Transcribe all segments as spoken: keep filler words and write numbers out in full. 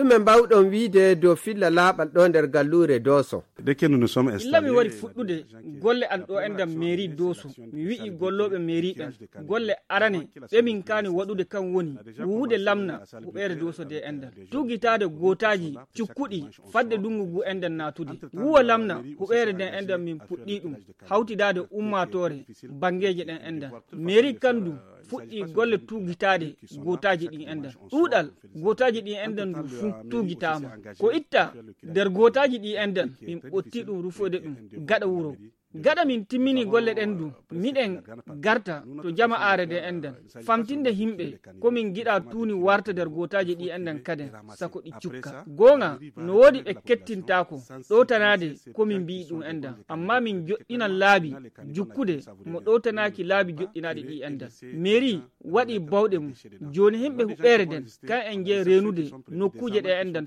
Min mbawɗon wiide dow filla laaɓal ɗo nder galluure Dooso. Illa mi wari fuɗɗude golle an ɗo enɗan mairie Dooso, mi wi'i gollooɓe mairie ɓen golle arane ɗe min kaani waɗude kan woni wuwude lamna huɓeere Dooso de enɗan, tuugitaade gootaaji cukkuɗi fadde dungu ngu enɗan naatude, wuwa lamna huɓeere nden enɗan min puɗɗii ɗum hawtidaade ummaatoore banngeeje ɗen enɗan. Mairie kan du fuɗɗii golle tuugitaade gootaaji ɗin enɗan. Ɗuuɗal gootaaji ɗin enɗan du fuu tuugitaama. Ko itta nder gootaaji ɗin enɗan min ɓotti ɗum rufoyde ɗum gaɗa wuro. Gaɗa min timmini golle ɗen du, miɗen garta to jama'aare ɗen enɗan famtinde yimɓe ko min giɗa tuuni warta nder gootaaji ɗin enɗan kaden, sako ɗi cukka. Goonga no woodi ɓe kettintaako ɗowtanaade ko min mbi'i ɗum enɗan, amma min joɗɗinan laabi jukkude mo ɗowtanaaki laabi joɗɗinaaɗi ɗi enɗan. Mairie waɗi bawɗe mum. Jooni yimɓe huɓeere nden kan en jeyi reenude nokkuuje ɗe enɗan.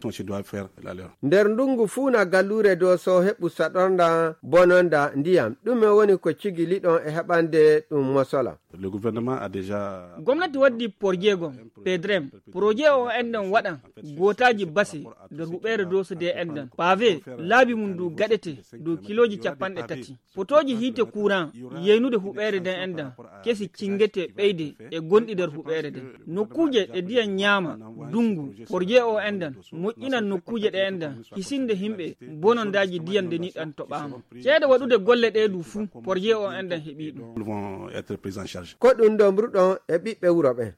Nder ndungu fuu na galluure Dooso heɓu saɗornda bononda ndiyam. Ɗume woni ko cigiliɗon e heɓande ɗum mosola? Gomnati waddi porjeegom, pedrem. Projet o enɗan waɗan gootaaji base nder huɓeere Dooso de enɗan. Pavé laabi mum du gaɗete dow kilooji capanɗe tati. Potooji hiite kuuran yeynude huɓeere nden enɗan kesi cingete ɓeyde e gonɗi nder huɓeere nden. Nokkuuje ɗe ndiyam ñaama dungu, porje o enɗan moƴƴinan nokkuuje ɗe enɗan hisinde yimɓe bonondaaji ndiyam nde niɗan toɓaama. Ceede waɗude golle ɗe du fuu, porje o enɗan heɓii ɗum. Ko ɗum ɗo mburuɗon e ɓiɓɓe wuro ɓen.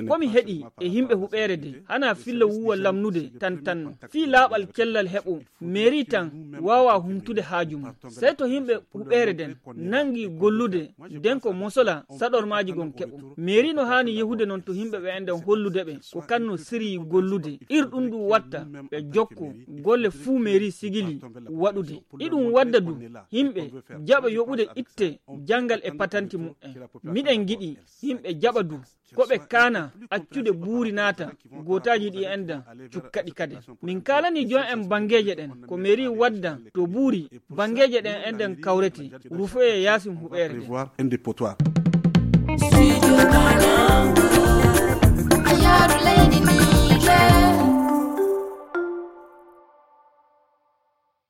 Ko mi heɗi e yimɓe huɓeere de hana filla wuwa lamnude tan tan no fii laaɓal cellal heɓo. Mairie tan waawa humtude haaju mum. Sey to yimɓe huɓeere nden nangi gollude nden ko mosola saɗormaaji gon keɓo. Mairie no haani yehude non to yimɓe ɓe enɗan hollude ɓe ko kan no siryi gollude. Ir ɗum ɗum watta ɓe jokko golle fuu mairie sigili waɗude. Iɗum wadda du yimɓe jaɓa yoɓude itte janngal e patanti muɓɓen. Miɗen ngiɗi yimɓe jaɓa du ko ɓe kaana accude buuri naata gootaaji ɗi enɗan cukkaɗi kade. Min kaalani jon en banngeeje ɗen ko mairie wadda to buuri banngeeje ɗen enɗan kawrete rufoye yaasin huɓeere nden. Studio Kalangu, a yaaru leydi ndi.